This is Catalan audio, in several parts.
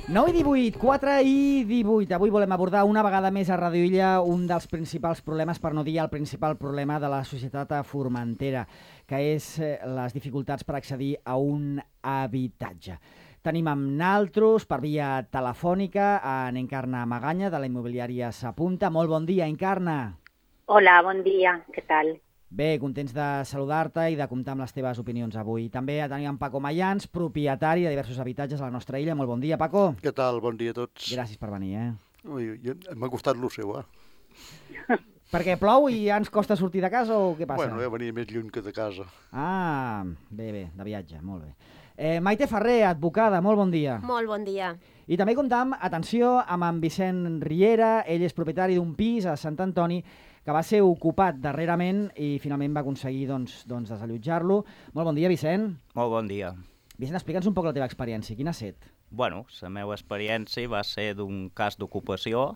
9 i 18, 4 i 18. Avui volem abordar una vegada més a Radio Illa un dels principals problemes, per no dir el principal problema de la societat a Formentera, que és les dificultats per accedir a un habitatge. Tenim amb naltros, per via telefònica, en Encarna Maganya, de la immobiliària S'Apunta. Molt bon dia, Encarna. Hola, bon dia, què tal? Bé, contents de saludar-te i de comptar amb les teves opinions avui. També tenim en Paco Mayans, propietari de diversos habitatges a la nostra illa. Molt bon dia, Paco. Què tal? Bon dia a tots. Gràcies per venir, Ui, m'ha costat lo seu, Perquè plou i ja ens costa sortir de casa o què passa? Bueno, venia més lluny que de casa. Ah, bé, de viatge, molt bé. Maite Ferrer, advocada, molt bon dia. Molt bon dia. I també comptam, atenció, amb en Vicent Riera. Ell és propietari d'un pis a Sant Antoni que va ser ocupat darrerament i finalment va aconseguir desallotjar-lo. Molt bon dia, Vicent. Molt bon dia. Vicent, explica'ns un poc la teva experiència. Quina ha estat? Bueno, la meva experiència va ser d'un cas d'ocupació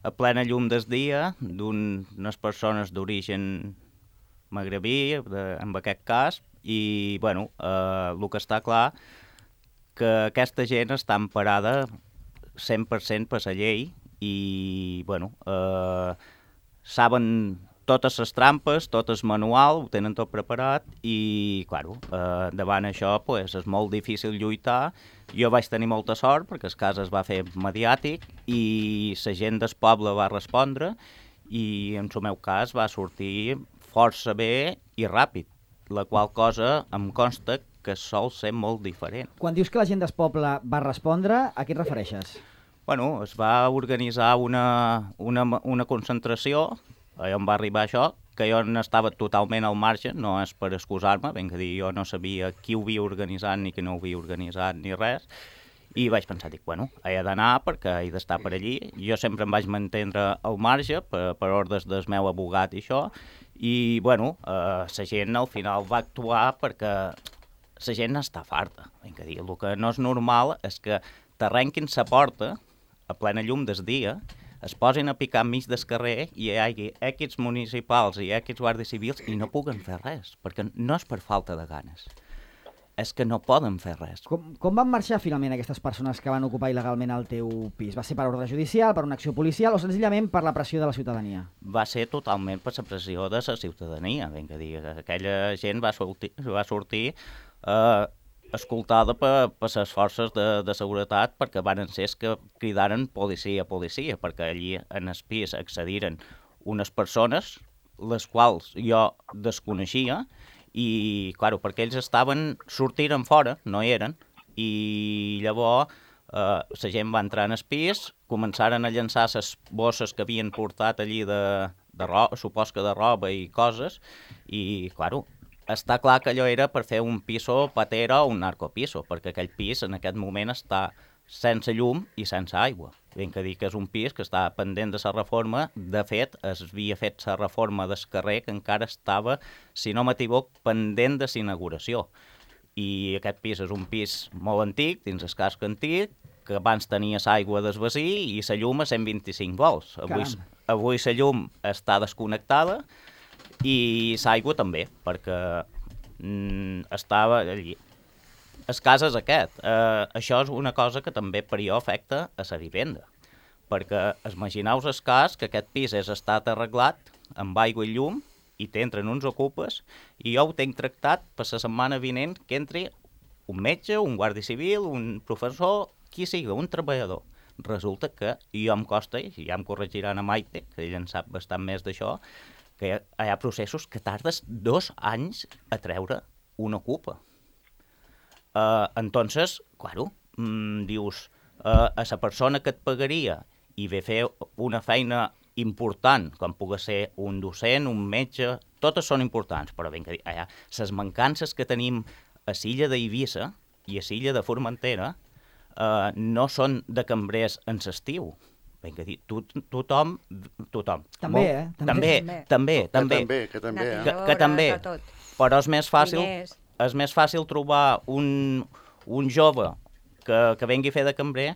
a plena llum del dia d'unes persones d'origen magrebí, en aquest cas, i bueno, el que està clar que aquesta gent està emparada 100% per la llei i bueno, saben totes les trampes, tot el manual, ho tenen tot preparat i, claro, davant això pues, és molt difícil lluitar. Jo vaig tenir molta sort perquè el cas es va fer mediàtic i la gent del poble va respondre i en el meu cas va sortir força bé i ràpid, la qual cosa em consta que sol ser molt diferent. Quan dius que la gent del poble va respondre, a què et refereixes? Bueno, es va organitzar una concentració, on va arribar això, que jo n'estava totalment al marge, no és per excusar-me, ben que dir, jo no sabia qui ho havia organitzat ni qui no ho havia organitzat ni res, i vaig pensar, bueno, he d'anar perquè he d'estar per allí. Jo sempre em vaig mantindre al marge per ordres del meu abogat i això, i bueno, la gent al final va actuar perquè la gent està farta. Ben que dir, el que no és normal és que t'arrenquin la porta a plena llum del dia, es posin a picar enmig del carrer i hi hagi equips municipals i equips guàrdies civils i no puguen fer res, perquè no és per falta de ganes, és que no poden fer res. Com van marxar finalment aquestes persones que van ocupar il·legalment el teu pis? Va ser per ordre judicial, per una acció policial o senzillament per la pressió de la ciutadania? Va ser totalment per la pressió de la ciutadania, ben que dir, aquella gent va sortir escoltada per les forces de seguretat perquè van ser que cridaren policia, perquè allí en el pis accediren unes persones les quals jo desconeixia i, clar, perquè ells sortiren fora, no hi eren, i llavors la gent va entrar en el pis, començaren a llançar les bosses que havien portat allí de roba, supos que de roba i coses, i, clar, està clar que allò era per fer un piso patera o un narcopiso, perquè aquell pis en aquest moment està sense llum i sense aigua. Ben que dir que és un pis que està pendent de la reforma. De fet, es havia fet la reforma del carrer que encara estava, si no m'equivoc, pendent de l'inauguració. I aquest pis és un pis molt antic, dins el casc antic, que abans tenia l'aigua del vecí i la llum a 125 volts. Avui la llum està desconnectada, i l'aigua també, perquè estava allí. El cas és aquest. Això és una cosa que també per jo afecta a la vivenda, perquè imagineu el cas que aquest pis és estat arreglat amb aigua i llum i t'entren uns ocupes i jo ho tinc tractat per la setmana vinent que entri un metge, un guàrdia civil, un professor, qui sigui, un treballador. Resulta que jo em costa, i ja em corregiran a Maite, que ella en sap bastant més d'això, que hi ha processos que tardes 2 anys a treure una ocupa. Entonces, claro, dius, a la persona que et pagaria i ve fer una feina important, com pugui ser un docent, un metge, totes són importants, però ben que dir, les mancances que tenim a l'illa d'Eivissa i a l'illa de Formentera no són de cambrers en l'estiu. Ben que dir, tothom. També, També. Que també. Però és més fàcil trobar un jove que vengui a fer de cambrer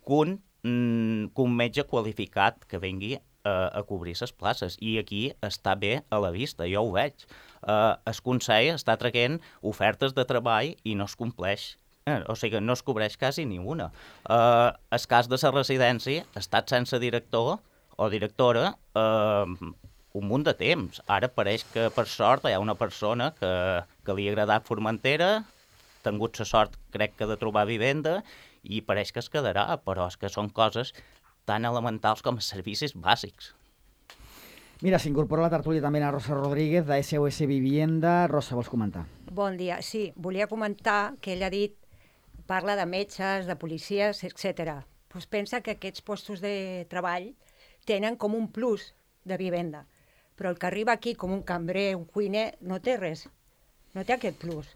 que un metge qualificat que vengui a cobrir les places. I aquí està bé a la vista, jo ho veig. El Consell està traient ofertes de treball i no es compleix O sigui, no es cobreix quasi ni una. El cas de la residència ha estat sense director o directora un munt de temps. Ara pareix que, per sort, hi ha una persona que li ha agradat Formentera, ha tingut la sort, crec que, de trobar vivenda, i pareix que es quedarà, però és que són coses tan elementals com els servicis bàsics. Mira, s'incorpora a la tertúlia també la Rosa Rodríguez, de SOS Vivienda. Rosa, vols comentar? Bon dia. Sí, volia comentar que ell ha dit, parla de metges, de policies, etc. Pues pensa que aquests postos de treball tenen com un plus de vivenda, però el que arriba aquí com un cambrer, un cuiner, no té res, no té aquest plus.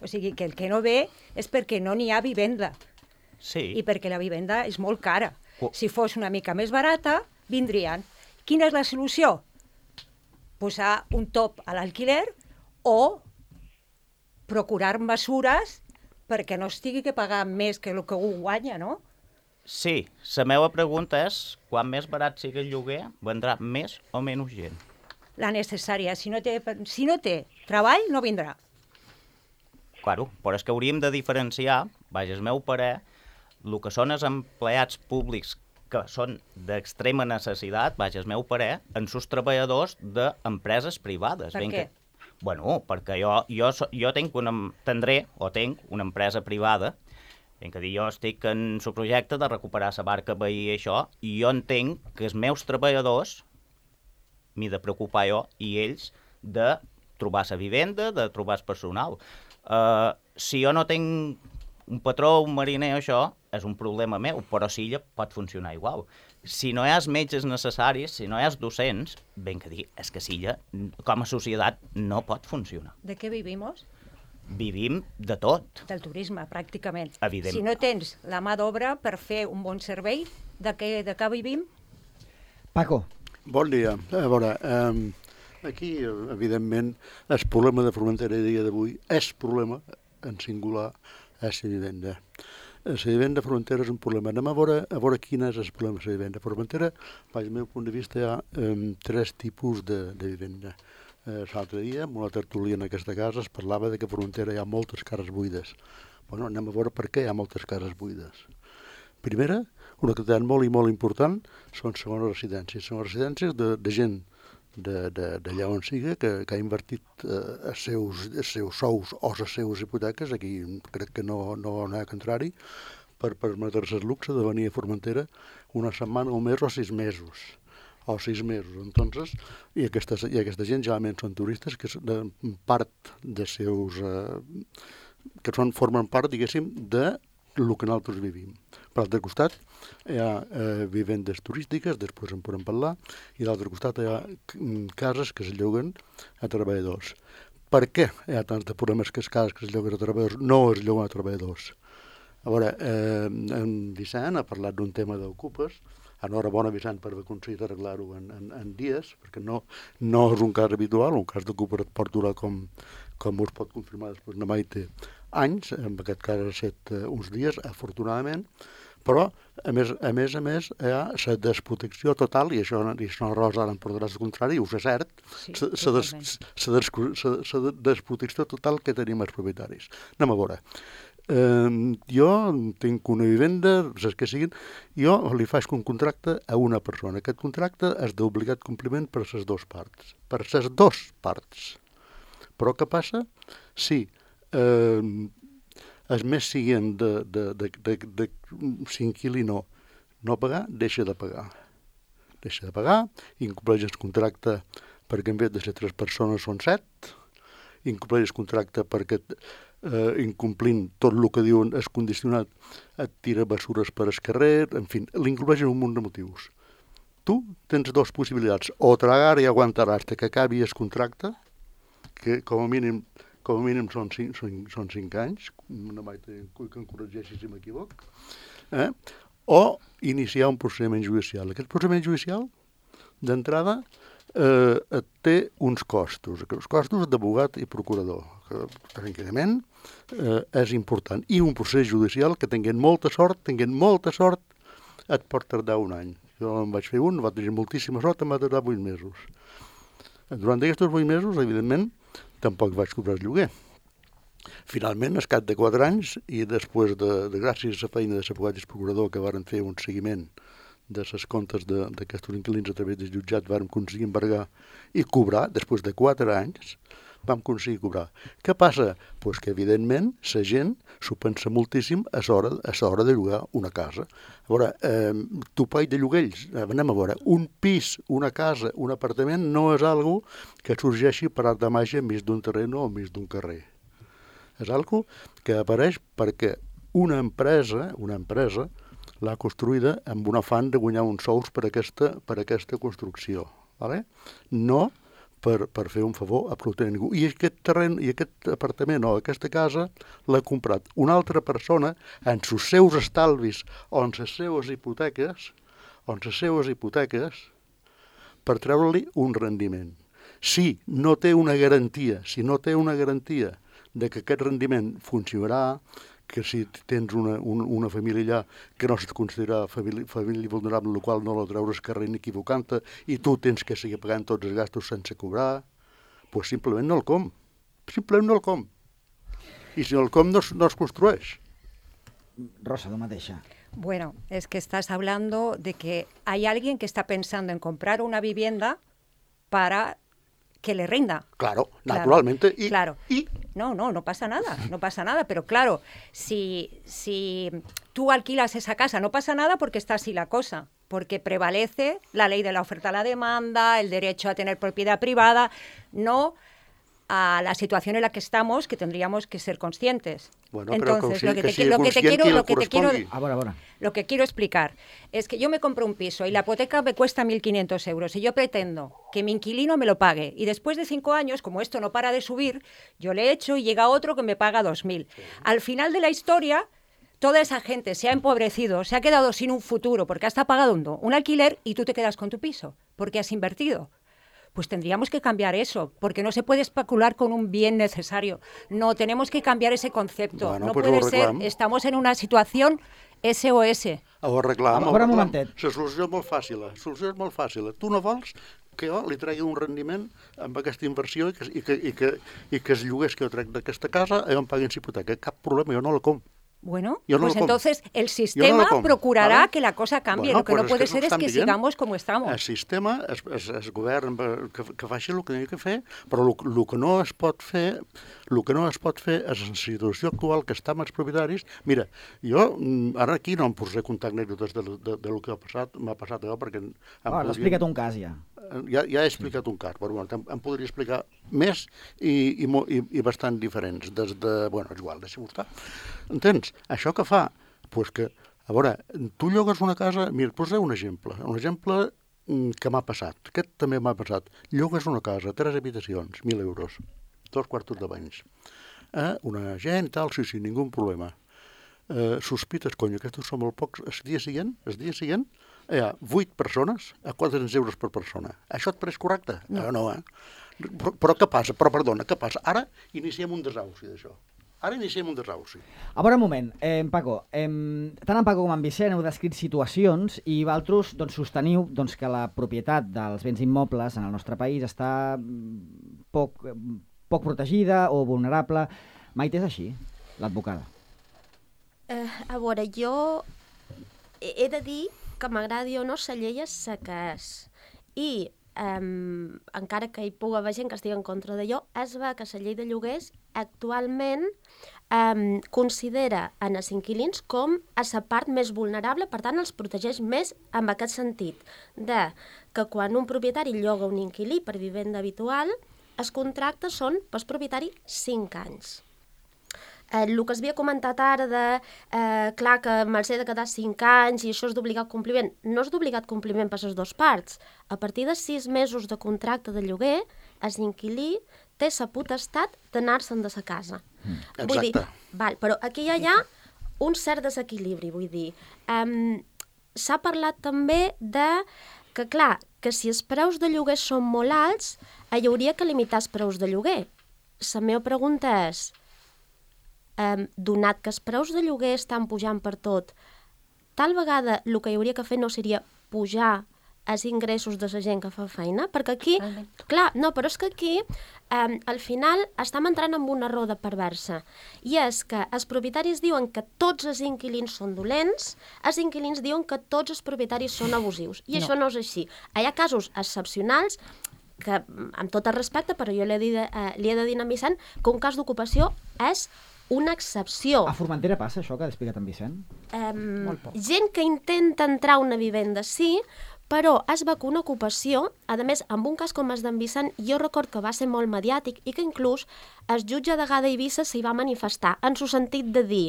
O sigui que el que no ve és perquè no n'hi ha vivenda. Sí. I perquè la vivenda és molt cara. Si fos una mica més barata, vindrien. Quina és la solució? Posar un top a l'alquiler o procurar mesures perquè no es tingui que pagar més que el que un guanya, no? Sí, la meva pregunta és, quan més barat sigui el lloguer, vendrà més o menys gent? La necessària. Si no té treball, no vindrà. Claro, però és que hauríem de diferenciar, vaja, el meu parer, el que són els empleats públics que són d'extrema necessitat, vaja, el meu parer, en sus treballadors d'empreses privades. Per què? Bueno, perquè jo tinc una empresa privada, jo estic en el projecte de recuperar la barca veí i això, i jo entenc que els meus treballadors m'he de preocupar jo i ells de trobar la vivenda, de trobar el personal. Si jo no tinc un patró, un mariner, això és un problema meu, però Silla pot funcionar igual. Si no hi ha els metges necessaris, si no hi ha els docents, ben que dir, és que Silla, com a societat, no pot funcionar. De què vivim? Vivim de tot. Del turisme, pràcticament. Evident. Si no tens la mà d'obra per fer un bon servei, de què vivim? Paco. Bon dia. A veure, aquí, evidentment, el problema de Formentera a dia d'avui és problema, en singular, és la vivenda. La vivenda a Formentera és un problema. Anem a veure quin és el problema de la vivenda. A Formentera, des del meu punt de vista, hi ha tres tipus de vivenda. L'altre dia, en una tertúlia en aquesta casa, es parlava de que a Formentera hi ha moltes cases buides. Bueno, anem a veure per què hi ha moltes cases buides. Primera, una activitat molt i molt important són segones residències. Segones residències de gent d'allà on siga, que ha invertit els seus sous o les seves hipoteques, aquí crec que no hi ha contrari, per permetre-se el luxe de venir a Formentera una setmana, un mes o 6 mesos. Entonces, i aquesta gent generalment són turistes que formen part, diguéssim, de el que nosaltres vivim. Per l'altre costat hi ha vivendes turístiques, després en podem parlar, i a l'altre costat hi ha cases que es lloguen a treballadors. Per què hi ha tants de problemes que les cases que es lloguen a treballadors no es lloguen a treballadors? A veure, en Vicent ha parlat d'un tema d'ocupes. Enhorabona, Vicent, per haver aconseguit arreglar-ho en dies, perquè no és un cas habitual, un cas d'ocupes et pot durar, com us pot confirmar després na Maite, anys, en aquest cas ha estat uns dies, afortunadament, però, a més, hi ha la desprotecció total, i això la Rosa ara em portaràs el contrari, us és cert, la desprotecció total que tenim els propietaris. Anem a veure. Jo tinc una vivenda, saps què siguin, jo li faig un contracte a una persona. Aquest contracte és d'obligat compliment per les dues parts. Però què passa? Si els més siguin de s'inquili no pagar, deixa de pagar. Incompleix el contracte perquè en vez de ser 3 persones són 7, incompleix el contracte perquè incomplint tot el que diuen és condicionat, et tira bessures per el carrer, en fi, l'incompleix un munt de motius. Tu tens 2 possibilitats, o tragar i aguantar fins que acabi el contracte, que com a mínim són 5 anys, no mai que em corregeixi si m'equivoc, o iniciar un procediment judicial. Aquest procediment judicial, d'entrada, té uns costos, els costos d'abogat i procurador, que tranquil·lament és important. I un procés judicial que tinguent molta sort, et pot tardar un any. Jo en vaig fer un, va tenir moltíssima sort, em va tardar 8 mesos. Durant aquests 8 mesos, evidentment, tampoc vaig cobrar el lloguer. Finalment, al cap de 4 anys, i després de gràcies a la feina de l'abogat i el procurador que varen fer un seguiment de les comptes d'aquests inquilins a través del jutjat, vàrem aconseguir embargar i cobrar, després de 4 anys, vam aconseguir cobrar. Què passa? Pues que, evidentment, la gent s'ho pensa moltíssim a l'hora de llogar una casa. A veure, topall de lloguells, anem a veure, un pis, una casa, un apartament no és algo que sorgeixi per art de màgia enmig d'un terreno o enmig d'un carrer. És algo que apareix perquè una empresa l'ha construïda amb un afany de guanyar uns sous per aquesta construcció. Vale? No per fer un favor a absolutament ningú. I aquest terreny, i aquest apartament o aquesta casa l'ha comprat una altra persona en els seus estalvis o en les seues hipoteques, per treure-li un rendiment. Si no té una garantia de que aquest rendiment funcionarà, que si tens una família allà que no se't considera família vulnerable, en la qual no la treures carrer ni equivocant-te, i tu tens que seguir pagant tots els gastos sense cobrar, doncs simplement no el com. Simplement no el com. I si no el com no es construeix. Rosa, tu mateixa. Bueno, es que estás hablando de que hay alguien que está pensando en comprar una vivienda para que le rinda. Claro, naturalmente. Claro. No pasa nada, pero claro, si tú alquilas esa casa, no pasa nada porque está así la cosa, porque prevalece la ley de la oferta a la demanda, el derecho a tener propiedad privada, no a la situación en la que estamos, que tendríamos que ser conscientes. Bueno, entonces, lo que quiero explicar es que yo me compro un piso y la hipoteca me cuesta 1.500 euros y yo pretendo que mi inquilino me lo pague y después de 5 años, como esto no para de subir, yo le echo y llega otro que me paga 2.000. Sí. Al final de la historia, toda esa gente se ha empobrecido, se ha quedado sin un futuro porque has pagado un alquiler y tú te quedas con tu piso porque has invertido. Pues tendríamos que cambiar eso, porque no se puede especular con un bien necesario. No, tenemos que cambiar ese concepto. Bueno, no pues puede ser, estamos en una situación SOS. Ho arreglam. La solució és molt fàcil. Tu no vols que jo li tregui un rendiment amb aquesta inversió i que els lloguers que jo trec d'aquesta casa em paguin hipoteca. Cap problema, jo no la com. Bueno, pues entonces el sistema procurarà que la cosa canvie. Lo que no puede ser es que sigamos como estamos. El sistema, el govern que faci el que ha de fer, però el que no es pot fer és en la situació actual que està amb els propietaris. Mira, jo ara aquí no em posaré a contar anècdotes del que m'ha passat allò, perquè... L'ha explicat un cas, ja. Ja he explicat un cas, però em podria explicar més i bastant diferents. És igual, deixa'm estar. Entens? Això que fa? Doncs que, a veure, tu llogues una casa... Mira, et posaré un exemple que m'ha passat. Aquest també m'ha passat. Llogues una casa, 3 habitacions, 1.000 euros, 2 quartos de banys. Una gent, tal, sí, ningú problema. Sospites, aquests són molt pocs. El dia següent, hi ha 8 persones a 400 euros per persona. Això et pareix correcte? No, Però què passa? Què passa? Ara iniciem un desauci d'això. A veure, un moment, Paco, tant en Paco com en Vicent heu descrit situacions i vosaltres sosteniu que la propietat dels béns immobles en el nostre país està poc protegida o vulnerable. Maite, és així, l'advocada? A veure, jo he de dir que m'agradi o no, la llei és la que és. I encara que hi pugui haver gent que estigui en contra d'allò, és ver que la llei de lloguers actualment considera en els inquilins com a la part més vulnerable, per tant els protegeix més en aquest sentit, de que quan un propietari lloga un inquilí per vivenda habitual, els contractes són pel propietari 5 anys. El que es havia comentat ara de clar que me'ls he de quedar 5 anys i això és d'obligat compliment, no és d'obligat compliment per les dues parts. A partir de 6 mesos de contracte de lloguer, l'inquilí té la potestat d'anar-se'n de la casa. Exacte. Vull dir, però aquí ja hi ha un cert desequilibri, vull dir. S'ha parlat també de que, clar, que si els preus de lloguer són molt alts, hi hauria que limitar els preus de lloguer. La meva pregunta és, donat que els preus de lloguer estan pujant per tot, tal vegada el que hi hauria que fer no seria pujar els ingressos de la gent que fa feina, perquè aquí, clar, no, però és que aquí al final estem entrant en una roda perversa, i és que els propietaris diuen que tots els inquilins són dolents, els inquilins diuen que tots els propietaris són abusius, i això no és així. Hi ha casos excepcionals que, amb tot el respecte, però jo li he de dir a Vicent que un cas d'ocupació és una excepció. A Formentera passa això que ha explicat en Vicent? Gent que intenta entrar a una vivenda, sí, però es va que una ocupació, a més, amb un cas com el d'en Vicent, jo record que va ser molt mediàtic i que inclús el jutge de Gada Eivissa s'hi va manifestar, en el sentit de dir,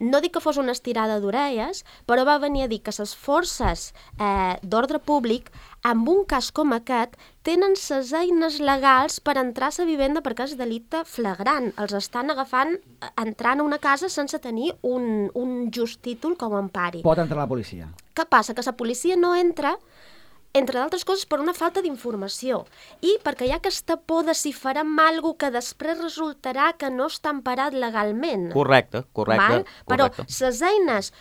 no dic que fos una estirada d'orelles, però va venir a dir que les forces d'ordre públic, amb un cas com aquest, tenen les eines legals per entrar a la vivenda perquè és delicte flagrant. Els estan agafant entrant a una casa sense tenir un just títol com a empari. Pot entrar la policia. Què passa? Que la policia no entra, entre d'altres coses, per una falta d'informació i perquè hi ha aquesta por de si farem alguna que després resultarà que no està emparat legalment. Correcte. Però les eines,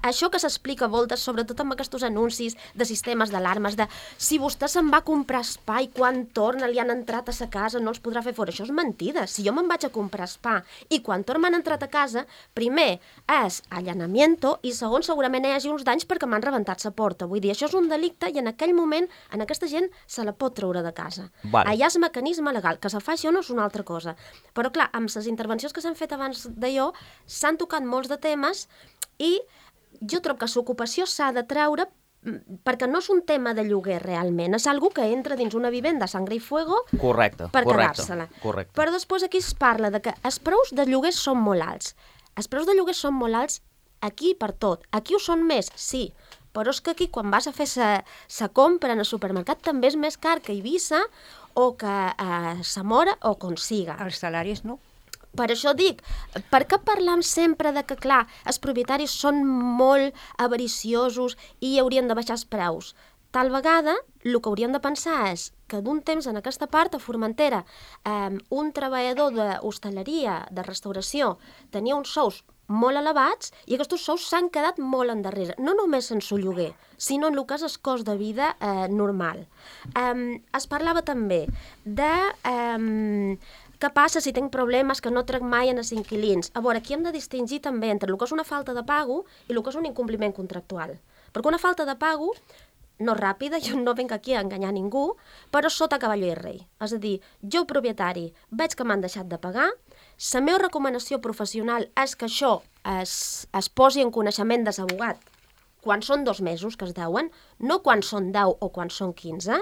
això que s'explica a voltes, sobretot amb aquests anuncis de sistemes d'alarmes, de si vostè se'n va a comprar espa i quan torna li han entrat a sa casa no els podrà fer fora. Això és mentida. Si jo me'n vaig a comprar espa i quan torna m'han entrat a casa, primer és allanamiento i segon segurament hi hagi uns danys perquè m'han rebentat la porta. Vull dir, això és un delicte i en aquell moment en aquesta gent se la pot treure de casa. Vale. Allà és mecanisme legal. Que se fa això no és una altra cosa. Però clar, amb les intervencions que s'han fet abans d'allò s'han tocat molts de temes i jo trobo que l'ocupació s'ha de treure perquè no és un tema de lloguer realment, és algú que entra dins una vivenda a sangre i fuego per quedar-se-la. Però després aquí es parla de que els preus de lloguer són molt alts. Els preus de lloguer són molt alts aquí per tot. Aquí ho són més, sí, però és que aquí quan vas a fer sa compra en el supermercat també és més car que a Eivissa o que a Zamora o com siga. Els salaris no. Per això dic, per què parlam sempre de que, clar, els propietaris són molt avariciosos i haurien de baixar els preus? Tal vegada, el que hauríem de pensar és que d'un temps en aquesta part, a Formentera, un treballador d'hostaleria, de restauració, tenia uns sous molt elevats i aquests sous s'han quedat molt endarrere, no només en el lloguer, sinó en el que és el cost de vida normal. Es parlava també de què passa si tinc problemes que no trec mai en els inquilins. A veure, aquí hem de distingir també entre el que és una falta de pago i el que és un incompliment contractual. Perquè una falta de pago no ràpida, jo no vinc aquí a enganyar ningú, però sota cavall i rei. És a dir, jo, propietari, veig que m'han deixat de pagar, la meva recomanació professional és que això es posi en coneixement de l'abogat quan són 2 mesos que es deuen, no quan són 10 o quan són 15,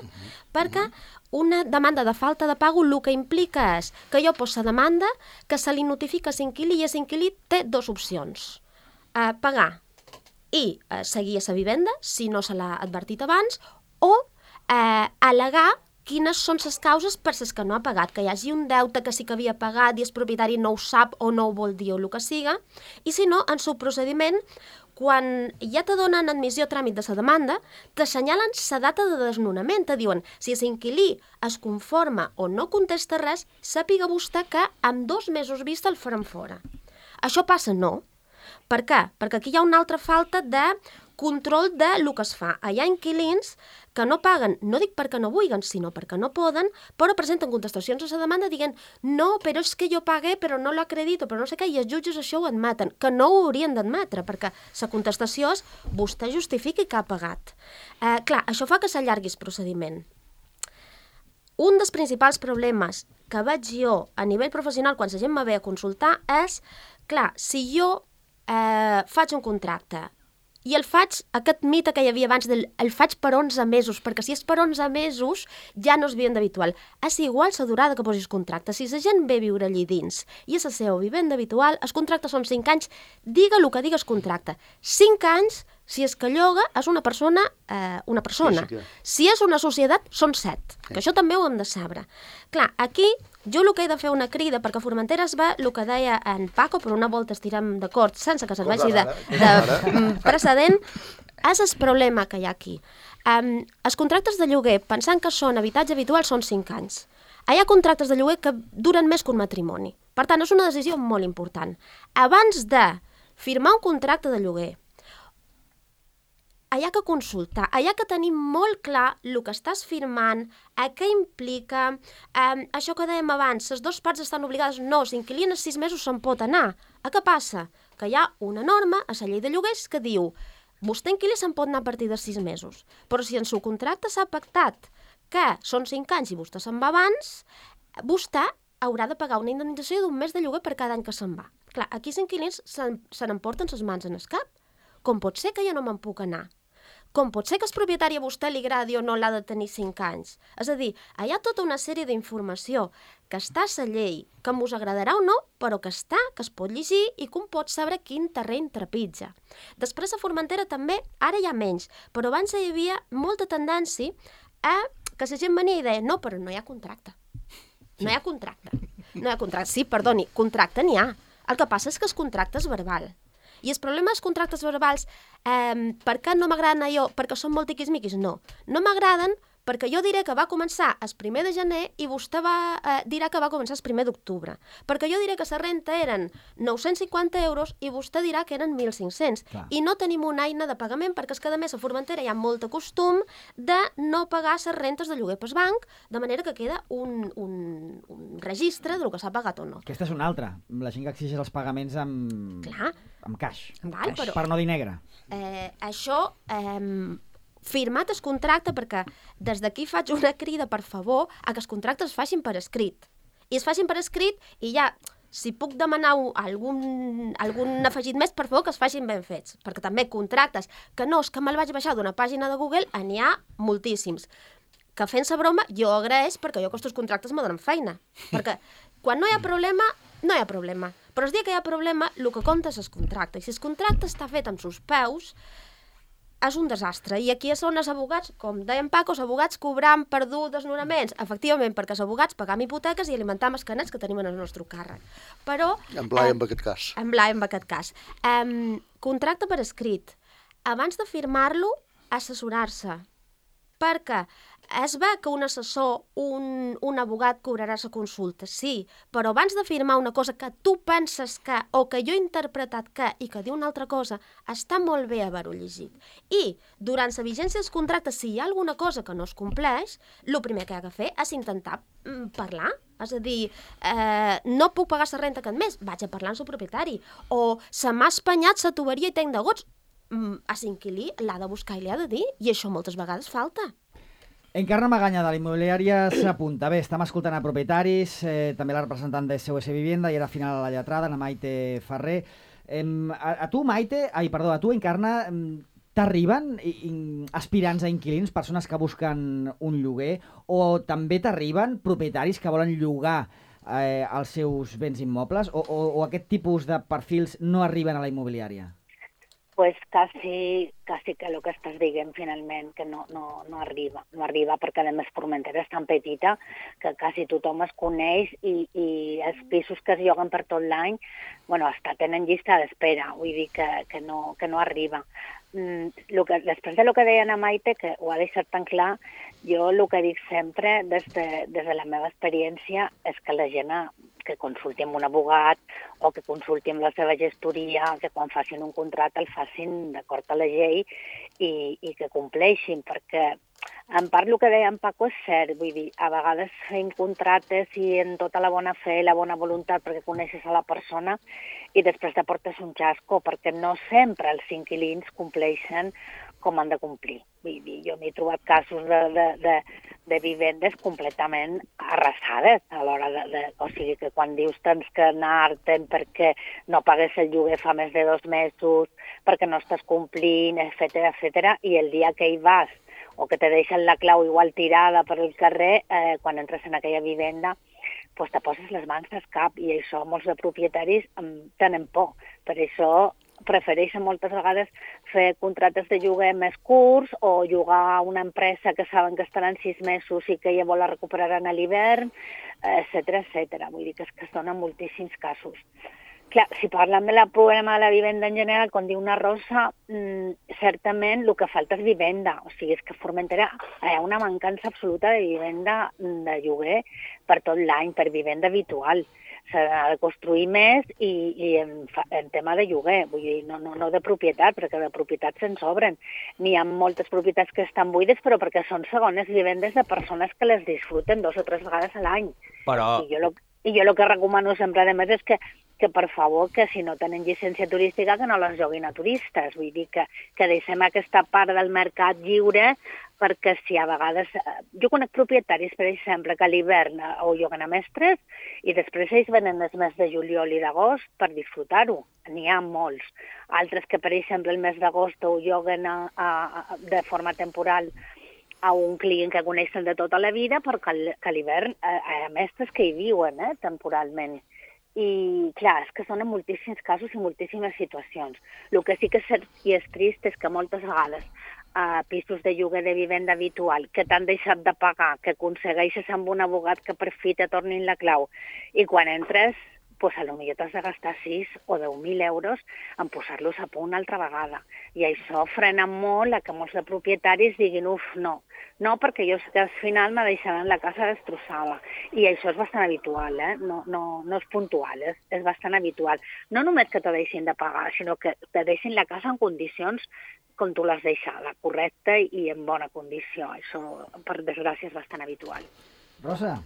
perquè una demanda de falta de pago el que implica és que jo poso la demanda, que se li notifica a l'inquilí i l'inquilí té 2 opcions. Pagar i seguir a la vivenda, si no se l'ha advertit abans, o al·legar quines són les causes per les que no ha pagat, que hi hagi un deute que sí que havia pagat i el propietari no ho sap o no ho vol dir o el que siga, i si no, en el procediment, quan ja te donen admissió a tràmit de la demanda, t'assenyalen la data de desnonament, te diuen, si l'inquilí es conforma o no contesta res, sàpiga vostè que amb 2 mesos vista el faran fora. Això passa? No. Per què? Perquè aquí hi ha una altra falta de control de lo que es fa. Hi ha inquilins que no paguen, no dic perquè no vulguen, sinó perquè no poden, però presenten contestacions a la demanda dient no, però és que jo pagué, però no l'acredito, però no sé què, i els jutges això ho admeten, que no ho haurien d'admetre, perquè la contestació és vostè justifiqui que ha pagat. Clar, això fa que s'allargui el procediment. Un dels principals problemes que veig jo a nivell professional quan la gent me ve a consultar és, clar, si jo faig un contracte i el faig, aquest mite que hi havia abans, el faig per 11 mesos, perquè si és per 11 mesos ja no és vivenda habitual. És igual la durada que posis contracte. Si la gent ve a viure allí dins i és la seva vivenda habitual, els contractes són 5 anys, digue el que digues contracte. 5 anys, si és que lloga, és una persona. Si és una societat, són 7, que això també ho hem de saber. Clar, aquí jo el que he de fer una crida, perquè a Formentera es va el que deia en Paco, per una volta estirem d'acord, sense que serveixi de precedent, és el problema que hi ha aquí. Els contractes de lloguer, pensant que són habitatge habitual, són 5 anys. Hi ha contractes de lloguer que duren més que un matrimoni. Per tant, és una decisió molt important. Abans de firmar un contracte de lloguer, hi ha que consultar, hi ha que tenir molt clar el que estàs firmant, què implica, això que dèiem abans, les dues parts estan obligades, no, l'inquilí en 6 mesos se'n pot anar. Què passa? Que hi ha una norma a la llei de lloguers que diu vostè inquilí se'n pot anar a partir de 6 mesos, però si en el contracte s'ha pactat que són 5 anys i vostè se'n va abans, vostè haurà de pagar una indemnització d'1 mes de lloguer per cada any que se'n va. Clar, aquí els inquilins se n'emporten les mans en el cap. Com pot ser que jo no me'n puc anar? Com pot ser que el propietari a vostè li agradi o no l'ha de tenir 5 anys? És a dir, hi ha tota una sèrie d'informació que està a la llei, que us agradarà o no, però que està, que es pot llegir i que un pot saber quin terreny trepitja. Després a Formentera també, ara hi ha menys, però abans hi havia molta tendència a que la gent venia i deia no, però no hi ha contracte. No hi ha contracte. No hi ha contracte. Sí, perdoni, contracte n'hi ha. El que passa és que el contracte és verbal. I el problema dels contractes verbals, per què no m'agraden allò? Perquè són molt tiquismiquis? No. No m'agraden perquè jo diré que va començar el 1 de gener i vostè dirà que va començar el 1 d'octubre. Perquè jo diré que la renta eren 950 euros i vostè dirà que eren 1.500. Clar. I no tenim una eina de pagament perquè és que a més a Formentera hi ha molt de costum de no pagar les rentes de lloguer pel banc, de manera que queda un registre del que s'ha pagat o no. Aquesta és una altra. La gent que exigeix els pagaments amb cash. Val, però, per no dir negre. Això... firmat el contracte, perquè des d'aquí faig una crida, per favor, a que els contractes es facin per escrit. I es facin per escrit i ja, si puc demanar algun afegit més, per favor, que es facin ben fets. Perquè també contractes, que no, és que me'l vaig baixar d'una pàgina de Google, n'hi ha moltíssims. Que fent-se broma, jo agraeix perquè jo aquests contractes me donen feina. Perquè quan no hi ha problema, no hi ha problema. Però el dia que hi ha problema, el que compta és el contracte. I si el contracte està fet amb sus peus, és un desastre. I aquí són els abogats, com deien Paco, els abogats cobrant per desnonaments. Efectivament, perquè els abogats pagam hipoteques i alimentam els canets que tenim en el nostre càrrec. Però... En Blai, en aquest cas. En Blai, en aquest cas. Contracte per escrit. Abans de firmar-lo, assessorar-se. Perquè es ve que un assessor, un abogat cobrarà la consulta, sí, però abans de firmar una cosa que tu penses que, o que jo he interpretat que, i que diu una altra cosa, està molt bé haver-ho llegit. I durant la vigència dels contractes, si hi ha alguna cosa que no es compleix, el primer que hi ha de fer és intentar parlar. És a dir, no puc pagar la renta aquest mes, vaig a parlar amb el propietari. O se m'ha espanyat la tuberia i tenc de gots. A l'inquilí l'ha de buscar i li ha de dir, i això moltes vegades falta. Encarna Maganya, de la immobiliària, s'apunta. Bé, estem escoltant a propietaris, també la representant de SOS Vivienda, i ara al final a la lletrada, a Maite Ferrer. A tu, Encarna, t'arriben aspirants a inquilins, persones que busquen un lloguer, o també t'arriben propietaris que volen llogar els seus béns immobles, o aquest tipus de perfils no arriben a la immobiliària? Pues casi que el que estàs dient finalment, que no arriba perquè a més Formentera és tan petita que quasi tothom es coneix i els pisos que es lloguen per tot l'any, tenen llista d'espera, vull dir que no arriba. Després de lo que deia Ana Maite, que ho ha deixat tan clar, jo el que dic sempre des de la meva experiència és que la gent que consulti amb un abogat o que consulti amb la seva gestoria, que quan facin un contracte el facin d'acord a la llei i que compleixin, perquè en part el que deia en Paco és cert, vull dir, a vegades fem contractes i en tota la bona fe i la bona voluntat perquè coneixes a la persona i després t'aportes un xasco, perquè no sempre els inquilins compleixen com han de complir. Vull dir, jo m'he trobat casos de vivendes completament arrasades a l'hora o sigui que quan dius tens que anar-te'n perquè no pagues el lloguer fa més de 2 mesos, perquè no estàs complint, etcètera, i el dia que hi vas o que te deixen la clau igual tirada per el carrer, quan entres en aquella vivenda, pues te poses les mans al cap i això molts de propietaris tenen por. Per això prefereixen moltes vegades fer contractes de lloguer més curts o llogar a una empresa que saben que estaran 6 mesos i que llavors la recuperaran a l'hivern, etcètera. Vull dir que es donen moltíssims casos. Clar, si parlem del problema de la vivenda en general, com diu una Rosa, certament el que falta és vivenda. O sigui, és que a Formentera hi ha una mancança absoluta de vivenda de lloguer per tot l'any, per vivenda habitual. S'ha de construir més i en tema de lloguer, vull dir, no de propietat, perquè de propietat se'n sobren. N'hi ha moltes propietats que estan buides, però perquè són segones vivendes de persones que les disfruten 2 o 3 vegades a l'any. Però... I jo el que recomano sempre, a més, és que per favor, que si no tenen llicència turística, que no les joguin a turistes. Vull dir que deixem aquesta part del mercat lliure, perquè si a vegades... Jo conec propietaris, per exemple, que a l'hivern ho lloguen a mestres i després ells venen els mesos de juliol i d'agost per disfrutar-ho. N'hi ha molts. Altres que, per exemple, el mes d'agost ho lloguen de forma temporal a un client que coneixen de tota la vida, perquè a l'hivern hi ha mestres que hi viuen temporalment. I, clar, és que són en moltíssims casos i moltíssimes situacions. El que sí que és cert i és trist és que moltes vegades pisos de lloguer de vivenda habitual que t'han deixat de pagar, que aconsegueixes amb un abogat que per fi te tornin la clau, i quan entres, pues a lo millor t'has de gastar 6 o 10.000 euros en posar-los a punt altra vegada. I això frena molt a que molts de propietaris diguin, no, perquè jo sé que al final me deixaran la casa destrossada. I això és bastant habitual, no és puntual, és bastant habitual. No només que te deixin de pagar, sinó que te deixin la casa en condicions com tu l'has deixada, correcta i en bona condició. Això, per desgràcia, és bastant habitual. Rosa.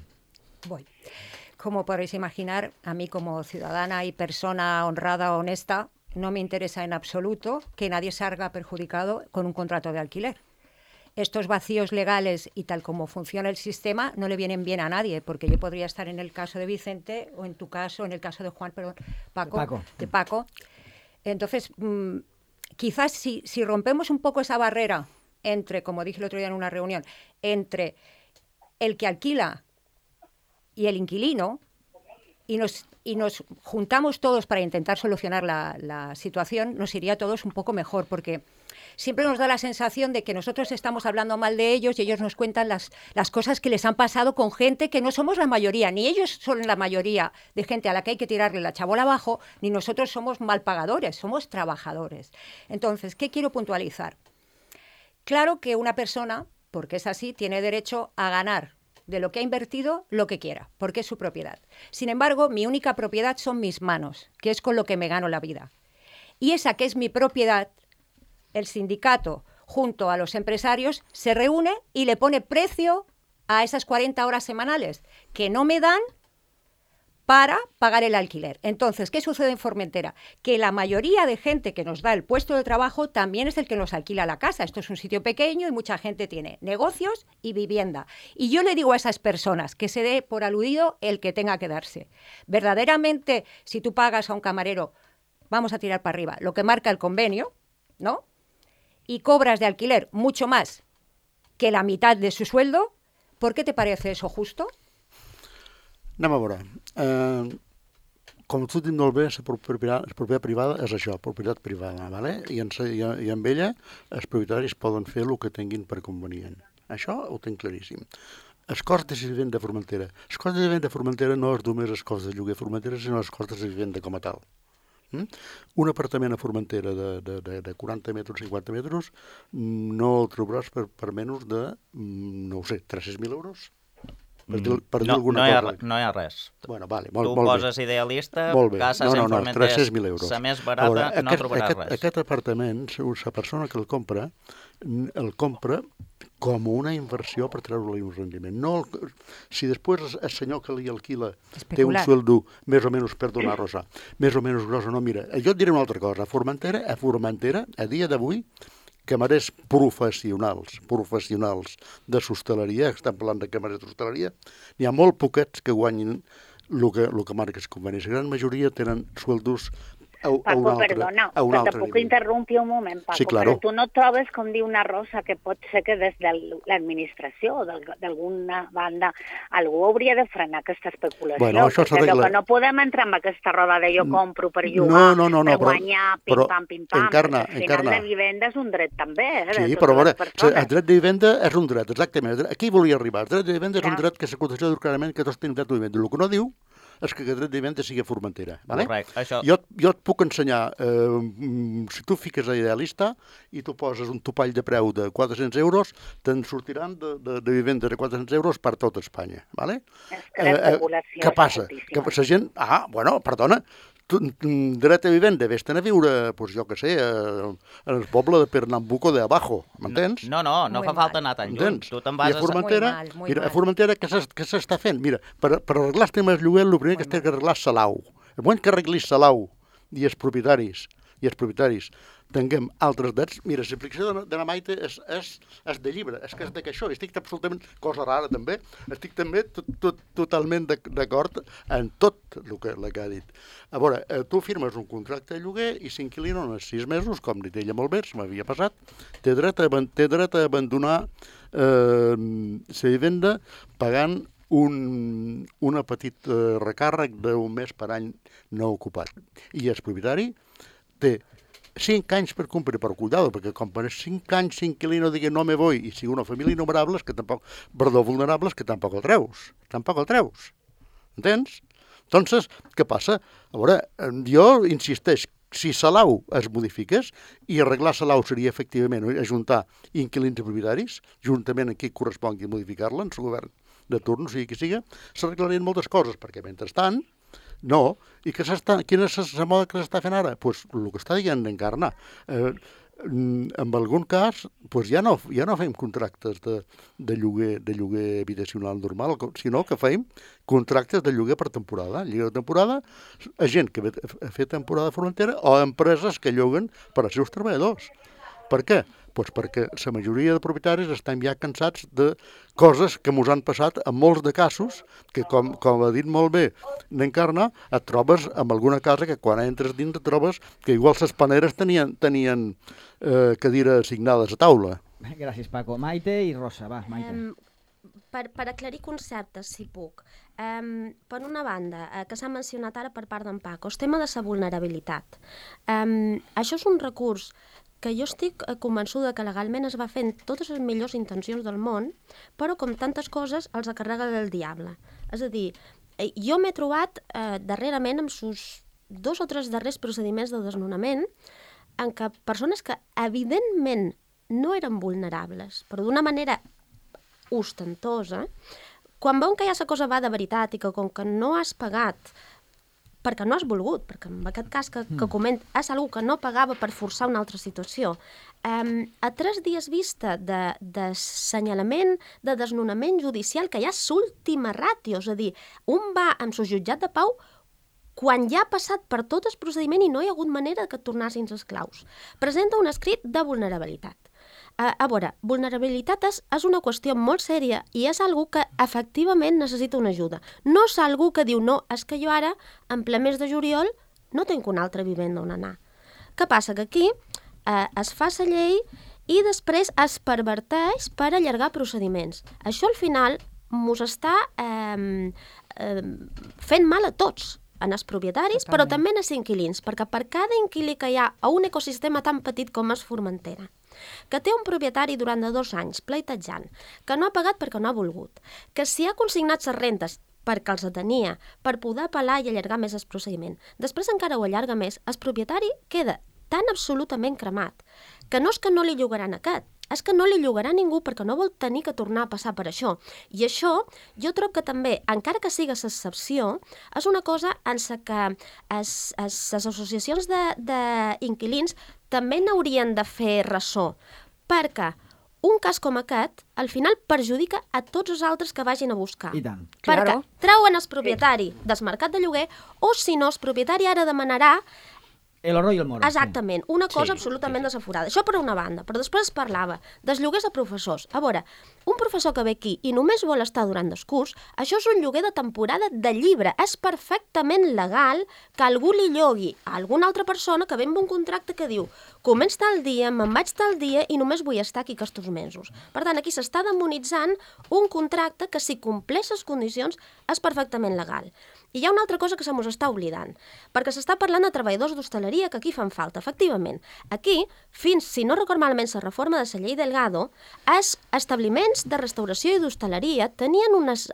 Voy. Como podéis imaginar, a mí como ciudadana y persona honrada, honesta, no me interesa en absoluto que nadie salga perjudicado con un contrato de alquiler. Estos vacíos legales y tal como funciona el sistema no le vienen bien a nadie, porque yo podría estar en el caso de Vicente o en tu caso, en el caso de Juan, perdón, Paco. Entonces, quizás si rompemos un poco esa barrera entre, como dije el otro día en una reunión, entre el que alquila y el inquilino, y nos juntamos todos para intentar solucionar la situación, nos iría a todos un poco mejor, porque siempre nos da la sensación de que nosotros estamos hablando mal de ellos y ellos nos cuentan las cosas que les han pasado con gente que no somos la mayoría, ni ellos son la mayoría de gente a la que hay que tirarle la chabola abajo, ni nosotros somos mal pagadores, somos trabajadores. Entonces, ¿qué quiero puntualizar? Claro que una persona, porque es así, tiene derecho a ganar de lo que ha invertido lo que quiera, porque es su propiedad. Sin embargo, mi única propiedad son mis manos, que es con lo que me gano la vida. Y esa que es mi propiedad, el sindicato, junto a los empresarios, se reúne y le pone precio a esas 40 horas semanales que no me dan para pagar el alquiler. Entonces, ¿qué sucede en Formentera? Que la mayoría de gente que nos da el puesto de trabajo también es el que nos alquila la casa. Esto es un sitio pequeño y mucha gente tiene negocios y vivienda. Y yo le digo a esas personas que se dé por aludido el que tenga que darse. Verdaderamente, si tú pagas a un camarero, vamos a tirar para arriba, lo que marca el convenio, ¿no? Y cobras de alquiler mucho más que la mitad de su sueldo, ¿por qué te parece eso justo? Anem a veure. Com tu has dit molt bé, la propietat privada és això, propietat privada, ¿vale? I amb ella els propietaris poden fer el que tinguin per convenient. Això ho tinc claríssim. Els costos de vivenda de Formentera. Els costos de vivenda de Formentera no és només els costos de lloguer de Formentera, sinó els costos de vivenda com a tal. Un apartament a Formentera de 40 metres, 50 metres, no el trobaràs per menys de, no ho sé, 300.000 euros? Per dir alguna cosa. No hi ha res. Bueno, vale, tu poses idealista, cases en Formentera, 300.000 euros. La més barata no trobaràs res. Aquest apartament, la persona que el compra com una inversió per treure-li un rendiment. No, si després el senyor que li alquila té un sueldo més o menys, perdona Rosa, més o menys gros, no, mira, jo et diré una altra cosa. A Formentera, a dia d'avui, camarers professionals de l'hostaleria, estem parlant de camarers d'hostaleria, n'hi ha molt poquets que guanyin el que marca el conveni. La gran majoria tenen sueldos Paco, perdona, que te puc interrompir un moment, Paco, sí, claro. Però tu no trobes, com diu una Rosa, que pot ser que des de l'administració o d'alguna banda algú hauria de frenar aquesta especulació? Bueno, això perquè que no podem entrar en aquesta roda de jo compro per llogar, per guanyar, pim-pam, Encarna. Al final la vivenda és un dret també, Sí, però a veure, el dret de vivenda és un dret, exactament. Aquí volia arribar. El dret de vivenda és un dret que s'aconsegueix clarament que tots tenen dret de vivenda. El que no diu és que aquest dret de vivenda sigui a Formentera. Vale? Correcte, això... Jo et puc ensenyar, si tu fiques a Idealista i tu poses un topall de preu de 400 euros, te'n sortiran de vivendes de 400 euros per tot Espanya. Vale? És que la població què passa? Que la gent... perdona, dret a vivenda, vés-te'n a viure, doncs jo què sé, en el poble de Pernambuco de Abajo, m'entens? No fa falta anar tan lluny. Tu te'n vas a Formentera, a Formentera què s'està fent? Mira, per arreglar els temes de lloguer, el primer que has d'arreglar és Salau. El moment que arreglis Salau i els propietaris, tinguem altres drets. Mira, l'aplicació de la Maite és de llibre, és que és de que això, estic absolutament, cosa rara també, estic també totalment d'acord en tot el que ha dit. A veure, tu firmes un contracte de lloguer i s'inquilina en 6 mesos, com dit ella molt bé, se m'havia passat, té dret a abandonar la vivenda pagant un petit recàrrec d'un mes per any no ocupat. I el propietari té 5 anys per complir, per cuidado, perquè com per 5 anys s'inquilino digui no me voy i sigui una família vulnerable que tampoc el treus. Entens? Entonces, què passa? A veure, jo insisteix, si Salau es modifiqués i arreglar Salau seria efectivament ajuntar inquilins i propietaris, juntament amb qui correspongui modificar-la en el govern de turno, sigui qui siga, s'arreglarien moltes coses, perquè mentrestant no. I quina és la moda que s'està fent ara? Doncs el que està dient d'Encarna. En algun cas, ja no fem contractes de lloguer habitacional normal, sinó que fem contractes de lloguer per temporada. Lloguer de temporada a gent que ha fet temporada a Formentera o a empreses que lloguen per als seus treballadors. Per què? Doncs perquè la majoria de propietaris estan ja cansats de coses que ens han passat en molts de casos, que com ha dit molt bé n'Encarna, et trobes en alguna casa que quan entres dins et trobes que igual les paneres tenien cadires assignades a taula. Gràcies, Paco. Maite i Rosa, va, Maite. Per aclarir conceptes, si puc. Per una banda, que s'ha mencionat ara per part d'en Paco, el tema de la vulnerabilitat. Això és un recurs que jo estic convençuda que legalment es va fent totes les millors intencions del món, però com tantes coses els acarrega del diable. És a dir, jo m'he trobat darrerament amb sus 2 o 3 darrers procediments de desnonament en què persones que evidentment no eren vulnerables, però d'una manera ostentosa, quan veuen que ja la cosa va de veritat i que com que no has pagat perquè no has volgut, perquè en aquest cas que coment és algú que no pagava per forçar una altra situació. A 3 dies vista d'assenyalament, de desnonament judicial, que ja és l'última ràtio, és a dir, un va amb el jutjat de pau quan ja ha passat per tot el procediment i no hi ha hagut manera que tornassin els claus. Presenta un escrit de vulnerabilitat. A veure, vulnerabilitat és una qüestió molt sèria i és algú que efectivament necessita una ajuda. No és algú que diu, no, és que jo ara, en ple mes de juliol, no tinc una altra vivenda on anar. Què passa? Que aquí es fa la llei i després es perverteix per allargar procediments. Això al final mos està fent mal a tots, en els propietaris, però també en els inquilins, perquè per cada inquilí que hi ha a un ecosistema tan petit com és Formentera, que té un propietari durant 2 anys pleitejant, que no ha pagat perquè no ha volgut, que si ha consignat les rentes perquè els tenia, per poder apel·lar i allargar més el procediment, després encara ho allarga més, el propietari queda tan absolutament cremat que no és que no li llogaran aquest, és que no li llogarà ningú perquè no vol tenir que tornar a passar per això. I això, jo trobo que també, encara que sigui l'excepció, és una cosa en la que les associacions d'inquilins també n'haurien de fer ressò, perquè un cas com aquest, al final, perjudica a tots els altres que vagin a buscar. I tant. Perquè treuen el propietari del mercat de lloguer, o si no, el propietari ara demanarà El oro i el moro. Exactament, una cosa absolutament desaforada. Això per una banda, però després es parlava dels lloguers a professors. A veure, un professor que ve aquí i només vol estar durant el curs, això és un lloguer de temporada de llibre. És perfectament legal que algú li llogui a alguna altra persona que ve amb un contracte que diu començ tal dia, me'n vaig tal dia i només vull estar aquí aquests mesos. Per tant, aquí s'està demonitzant un contracte que si compleix les condicions és perfectament legal. I hi ha una altra cosa que se mos està oblidant, perquè s'està parlant de treballadors d'hostaleria que aquí fan falta, efectivament. Aquí, fins, si no record malament la reforma de la llei Delgado, els establiments de restauració i d'hostaleria tenien unes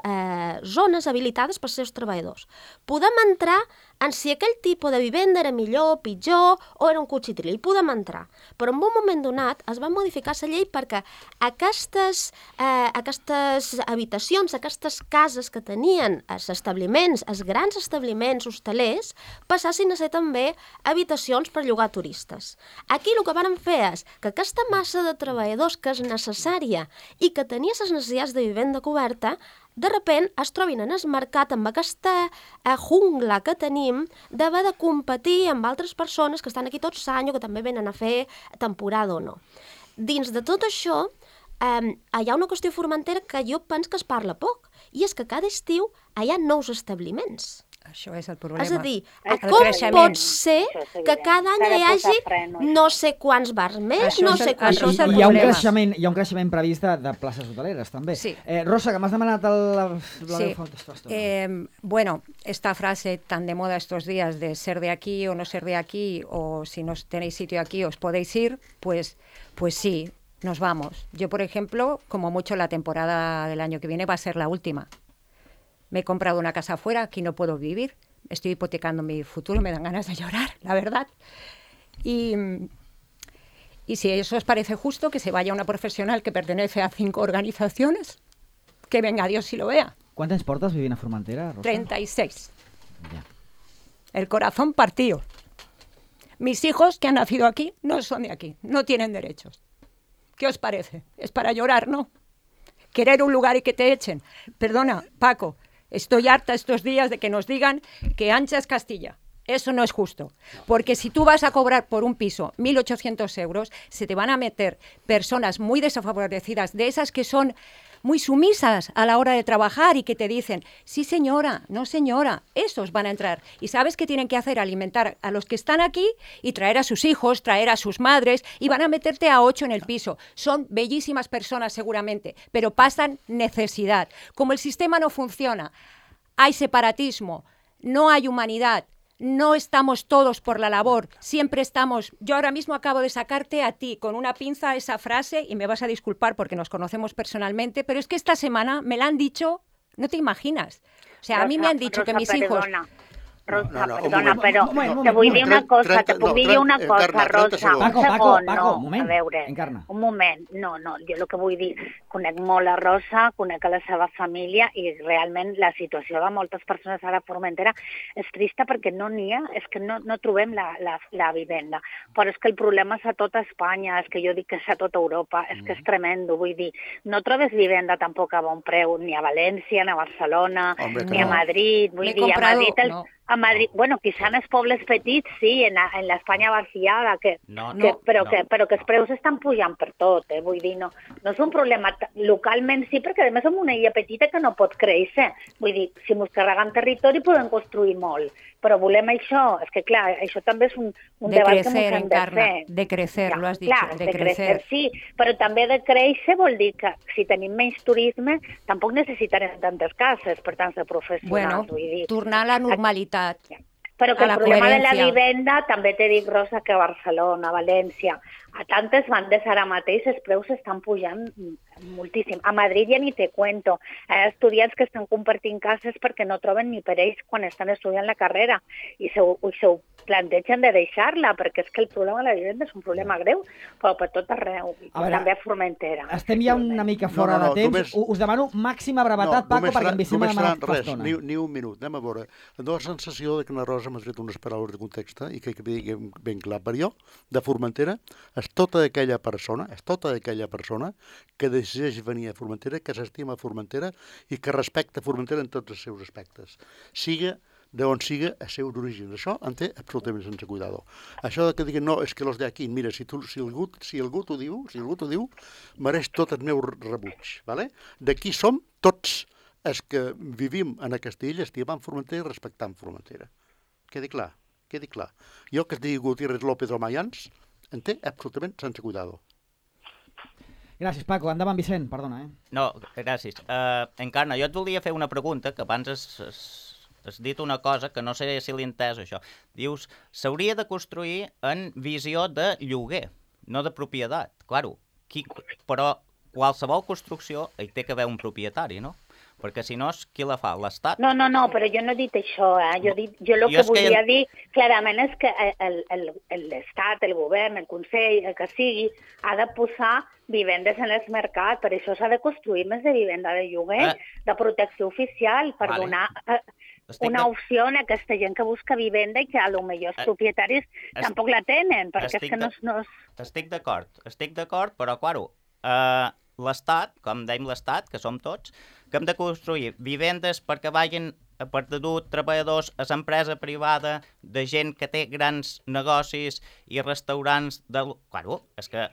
zones habilitades per als seus treballadors. Podem entrar en si aquell tipus de vivenda era millor, pitjor o era un cuchitril, hi podem entrar. Però en un moment donat es va modificar la llei perquè aquestes habitacions, aquestes cases que tenien els establiments, els grans establiments hostalers, passassin a ser també habitacions per llogar turistes. Aquí el que van fer és que aquesta massa de treballadors que és necessària i que tenia les necessitats de vivenda coberta, de repent es trobin en el mercat amb aquesta jungla que tenim d'haver de competir amb altres persones que estan aquí tots l'any o que també venen a fer temporada o no. Dins de tot això, hi ha una qüestió Formentera que jo penso que es parla poc, i és que cada estiu hi ha nous establiments. Això és el problema. És a dir, com pot ser que cada any hi hagi no sé quants bars més, no sé quants... Hi ha un creixement previst de places hoteleres, també. Sí. Rosa, que m'has demanat Sí. Bueno, esta frase tan de moda estos días de ser de aquí o no ser de aquí, o si no tenéis sitio aquí os podéis ir, pues sí, nos vamos. Yo, por ejemplo, como mucho la temporada del año que viene va a ser la última. Me he comprado una casa afuera, aquí no puedo vivir, estoy hipotecando mi futuro, me dan ganas de llorar, la verdad. Y si eso os parece justo, que se vaya una profesional que pertenece a 5 organizaciones, que venga Dios y lo vea. Quant temps portes vivint a Formentera, Rosa? 36. Ja. El corazón partido. Mis hijos, que han nacido aquí, no son de aquí, no tienen derechos. ¿Qué os parece? Es para llorar, ¿no? Querer un lugar y que te echen. Perdona, Paco, estoy harta estos días de que nos digan que ancha es Castilla. Eso no es justo, porque si tú vas a cobrar por un piso 1.800 euros, se te van a meter personas muy desfavorecidas, de esas que son muy sumisas a la hora de trabajar y que te dicen, sí señora, no señora, esos van a entrar. ¿Y sabes qué tienen que hacer? Alimentar a los que están aquí y traer a sus hijos, traer a sus madres, y van a meterte a 8 en el piso. Son bellísimas personas seguramente, pero pasan necesidad. Como el sistema no funciona, hay separatismo, no hay humanidad, no estamos todos por la labor, siempre estamos... Yo ahora mismo acabo de sacarte a ti con una pinza esa frase, y me vas a disculpar porque nos conocemos personalmente, pero es que esta semana me la han dicho, no te imaginas. O sea, a mí me han dicho que mis hijos... Rosa, perdona, però te vull dir una cosa, te puc dir una cosa, Rosa, Paco, un moment, a veure, Encarna. Un moment, no, jo el que vull dir, conec molt la Rosa, conec a la seva família i realment la situació de moltes persones ara a Formentera és trista perquè no n'hi ha, és que no trobem la vivenda, però és que el problema és a tota Espanya, és que jo dic que és a tota Europa, és que és tremendo, vull dir, no trobes vivenda tampoc a bon preu, ni a València, ni a Barcelona, ni a Madrid, vull dir, a Madrid... A Madrid, bueno, quizá en els pobles petits, sí, en l'Espanya vaciada, però que els preus estan pujant per tot, vull dir, no és un problema localment, sí, perquè a més som una illa petita que no pot créixer, vull dir, si ens carregam territori podem construir molt, però volem això, és que clar, això també és un debat que ens hem de fer. De crecer, lo has dicho, de crecer. Sí, però també de créixer vol dir que si tenim menys turisme tampoc necessitarem tantes cases per tants de professionals, vull dir. Tornar a la normalitat. Però que el problema de la vivenda, també t'he dit, Rosa, que a Barcelona, a València, a tantes bandes ara mateix els preus estan pujant moltíssim. A Madrid ja ni te cuento. Hi ha estudiants que estan compartint cases perquè no troben ni per ells quan estan estudiant la carrera i se ho plantegen de deixar-la, perquè és que el problema de la vivenda és un problema greu, però per tot arreu, també a Formentera. Estem ja una mica fora de temps. Us demano màxima brevetat, Paco, perquè em vicim a demanar fa estona. Ni un minut, anem a veure. Em dóna la sensació que la Rosa m'ha tret unes paraules de context i que diguem ben clar. Per jo, de Formentera, és tota aquella persona que decideix venir a Formentera, que s'estima a Formentera i que respecta Formentera en tots els seus aspectes. Siga d'on siga el seu d'origen. Això en té absolutament sense cuidado. Això que diguen, no, és que los d'aquí, mira, si algú t'ho diu, mereix tot el meu rebuig. ¿Vale? D'aquí som tots els que vivim en aquesta illa, estimant Formentera i respectant Formentera. Quedi clar. Jo que es digui Gutiérrez López o Mayans, en té absolutament sense cuidado. Gràcies, Paco. Endavant, Vicent, perdona. No, gràcies. Encarna, jo et volia fer una pregunta, que abans has dit una cosa que no sé si l'he entès, això. Dius, s'hauria de construir en visió de lloguer, no de propietat. Claro, però qualsevol construcció hi té que haver un propietari, no? Perquè si no, qui la fa? L'Estat? No, però jo no he dit això. Jo el que volia dir clarament és que l'Estat, el govern, el Consell, el que sigui, ha de posar vivendes en el mercat. Per això s'ha de construir més de vivenda de lloguer, de protecció oficial, per donar una opció a aquesta gent que busca vivenda i que a lo millor els propietaris tampoc la tenen, perquè és que no és... Estic d'acord, però, claro, l'Estat, com dèiem l'Estat, que som tots, que hem de construir vivendes perquè vagin per dur treballadors a l'empresa privada de gent que té grans negocis i restaurants de... Claro, és que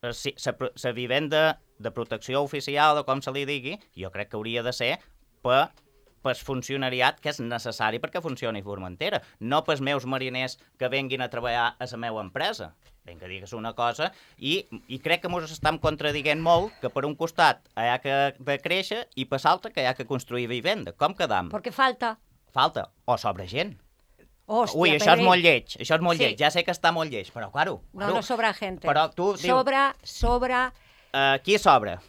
la vivenda de protecció oficial o com se li digui, jo crec que hauria de ser per funcionariat que és necessari perquè funcioni Formentera, no pels meus mariners que venguin a treballar a la meva empresa. Vinga, digues una cosa, i crec que ens estem contradient molt que per un costat hi ha que créixer i per l'altre que hi ha que construir vivenda. Com quedam? Perquè falta. Falta. O sobra gent. Hòstia, ui, això és molt lleig, lleig. Ja sé que està molt lleig, però claro. No sobra gente. Però tu dius... Sobra... Qui sobra?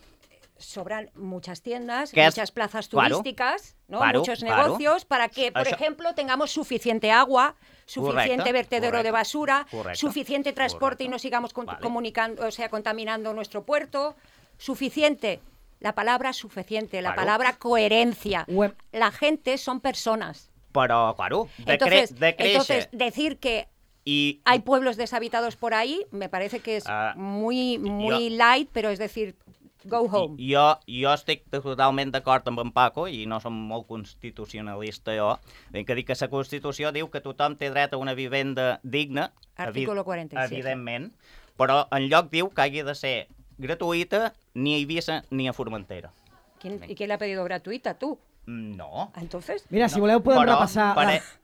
Sobran muchas tiendas, muchas plazas turísticas, ¿no? Muchos negocios, para que, por ejemplo, tengamos suficiente agua, suficiente vertedero de basura, suficiente transporte y no sigamos contaminando nuestro puerto, suficiente. La palabra suficiente, la palabra coherencia. La gente son personas. Pero, claro, entonces, decir que hay pueblos deshabitados por ahí, me parece que es muy light, pero es decir... Go home. Jo estic totalment d'acord amb en Paco, i no som molt constitucionalista jo, ben que dic que la Constitució diu que tothom té dret a una vivenda digna, Artículo 47. Evidentment, però en lloc diu que hagi de ser gratuïta ni a Eivissa ni a Formentera. ¿Y quién le ha pedido gratuïta? ¿Tú? No. Entonces... Mira, si voleu podem repassar...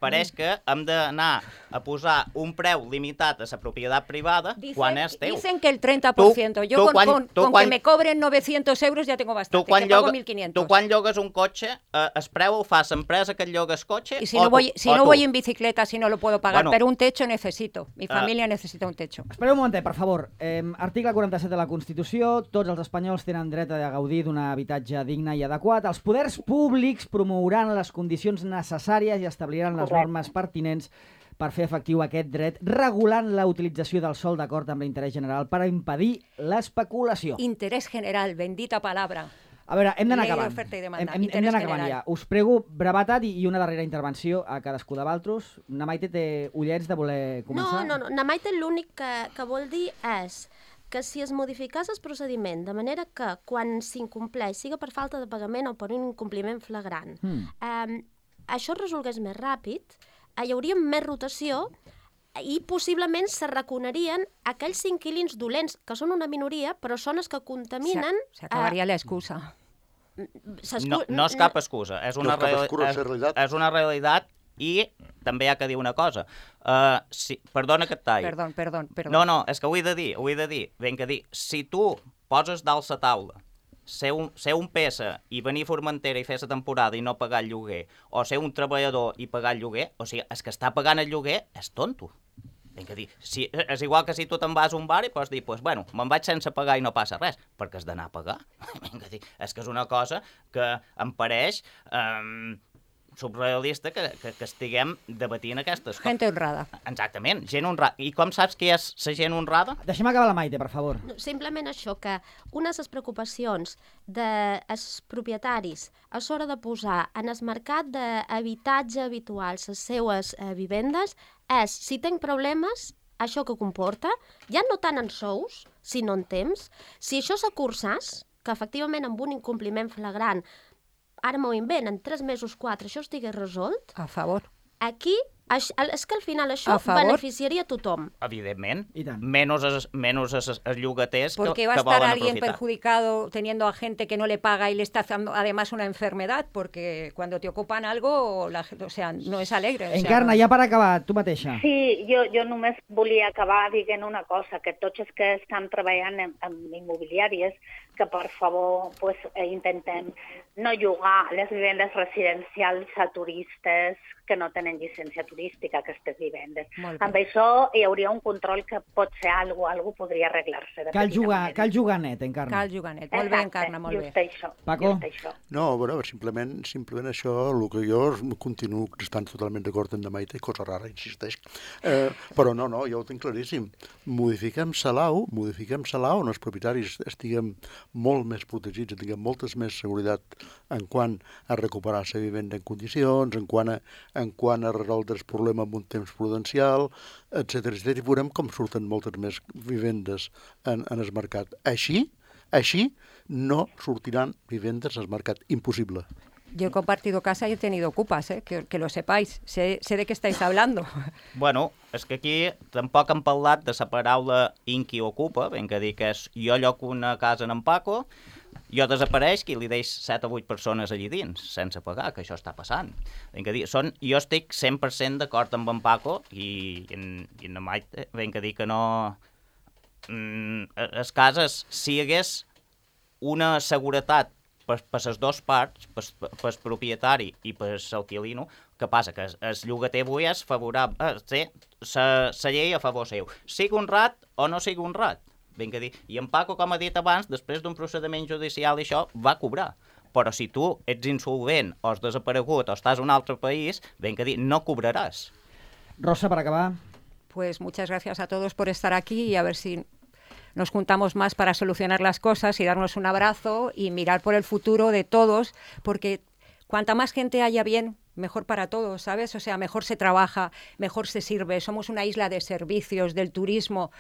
Pareix que hem d'anar a posar un preu limitat a la propietat privada quan és teu. Dicen que el 30%. Yo con que me cobren 900 euros ya tengo bastante, que pago 1.500. Tu quan llogues un cotxe, el preu ho fa l'empresa que et llogues cotxe y si no voy en bicicleta, si no lo puedo pagar, pero un techo necesito. Mi familia necesita un techo. Espereu un momentet, per favor. Article 47 de la Constitució. Tots els espanyols tenen dret a gaudir d'un habitatge digne i adequat. Els poders públics promouran les condicions necessàries i establiran les normes pertinents per fer efectiu aquest dret, regulant la utilització del sòl d'acord amb l'interès general per impedir l'especulació. Interès general, bendita palabra. A veure, hem d'anar acabant. Hem d'anar acabant ja. Us prego brevetat i una darrera intervenció a cadascú de vosaltres. Na Maite té ullets de voler començar? No. Na Maite l'únic que vol dir és que si es modificés el procediment de manera que quan s'incompleix, siga per falta de pagament o per un incompliment flagrant, això es resolgués més ràpid, hi hauria més rotació i possiblement se reconeixerien aquells inquilins dolents, que són una minoria, però són els que contaminen... S'acabaria l'excusa. No és cap excusa, és una realitat i també hi ha que dir una cosa. Perdona que et talli. Perdó. No, és que ho he de dir. Ben que dir, si tu poses dalt la taula ser un peça i venir a Formentera i fer la temporada i no pagar el lloguer, o ser un treballador i pagar el lloguer, o sigui, el que està pagant el lloguer és tonto. Ben que dir, és igual que si tu te'n vas a un bar i pots dir, bueno, me'n vaig sense pagar i no passa res, perquè has d'anar a pagar. Ben que dir, és que és una cosa que em pareix... surrealista que estiguem debatint aquestes coses. Gente honrada. Exactament, gent honrada. I com saps que és la gent honrada? Deixem acabar la Maite, per favor. Simplement això, que una de les preocupacions dels propietaris a l'hora de posar en el mercat d'habitatge habitual les seues vivendes és, si tenc problemes, això que comporta, ja no tant en sous, sinó en temps, si això s'acursàs, que efectivament amb un incompliment flagrant ara m'ho invent, en 3 mesos, 4, això estigués resolt... A favor. Aquí És que al final això A favor. beneficiaria a tothom. Evidentment. I tant. Menos els llogaters ¿Por qué que va a estar volen alguien aprofitar. perjudicado teniendo a gente que no le paga y le está haciendo además una enfermedad? Porque cuando te ocupan algo, o sea, no es alegre. O sea, Encarna, ja per acabar, tu mateixa. Sí, jo només volia acabar dient una cosa, que tots els que estan treballant en immobiliàries, que per favor pues, intentem no llogar les vivendes residencials a turistes que no tenen llicència turística, aquestes vivendes. Molt bé. Amb això hi hauria un control que pot ser algo podria arreglar-se. de Cal petita manera. jugar net, Encarna. Cal juganet. Molt bé, Exacte, Encarna, molt bé. just això, Paco? just això. No, bueno, simplement això, el que jo continuo estant totalment d'acord amb la Maite, cosa rara, insisteix, però no, jo ho tinc claríssim. Modifiquem Salau on els propietaris estiguem molt més protegits, tinguem moltes més seguretat en quant a recuperar la vivenda en condicions, en quant a resoldre el problema en un temps prudencial, etc. I veurem com surten moltes més vivendes en el mercat. Així no sortiran vivendes al mercat. Imposible. Yo he compartido casa y he tenido ocupas, que lo sepáis. Sé de qué estáis hablando. Bueno, és que aquí tampoc hem parlat de la paraula inqui ocupa, ben que dir que és jo lloco una casa en Paco, jo desapareix i li deix 7 o 8 persones allí dins, sense pagar, que això està passant. Ben que dir, jo estic 100% d'acord amb en Paco i en Maite, ben que dir que no... Les cases, si hi hagués una seguretat per les dues parts, per propietari i per l'alquilino, que passa? Que el llogater avui és favorable, la llei a favor seu. Sigui honrat o no sigui honrat. Ben que dir. I en Paco, com ha dit abans, després d'un procediment judicial i això, va cobrar. Però si tu ets insolvent o has desaparegut o estàs en un altre país, ben que dir, no cobraràs. Rosa, per acabar. Pues muchas gracias a todos por estar aquí y a ver si nos juntamos más para solucionar las cosas y darnos un abrazo y mirar por el futuro de todos, porque cuanta más gente haya bien, mejor para todos, ¿sabes? O sea, mejor se trabaja, mejor se sirve. Somos una isla de servicios, del turismo.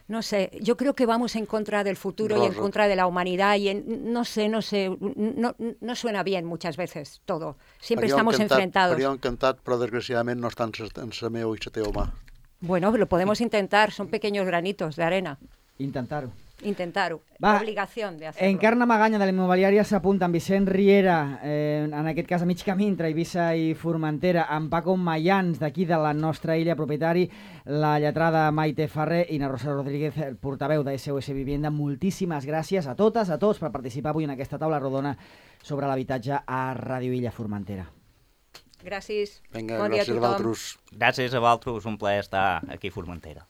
No sé, yo creo que vamos en contra del futuro y en contra de la humanidad y no suena bien muchas veces todo. Siempre estamos enfrentados. Faria encantat, però desgraciadament no està en la meva i la teva mà. Bueno, lo podemos intentar, son pequeños granitos de arena. Intentar-ho. Intentar-ho. Va, Obligación de hacerlo. Encarna Maganya, de la immobiliària, s'apunta amb Vicent Riera, en aquest cas a mig camí entre Eivissa i Formentera, amb Paco Mayans, d'aquí de la nostra illa, propietari, la lletrada Maite Ferrer i na Rosa Rodríguez, el portaveu de SOS Vivienda. Moltíssimes gràcies a totes, a tots, per participar avui en aquesta taula rodona sobre l'habitatge a Ràdio Illa Formentera. Gràcies. Vinga, Bon dia a gràcies a tothom. vosaltres. Gràcies a vosaltres, un plaer estar aquí a Formentera.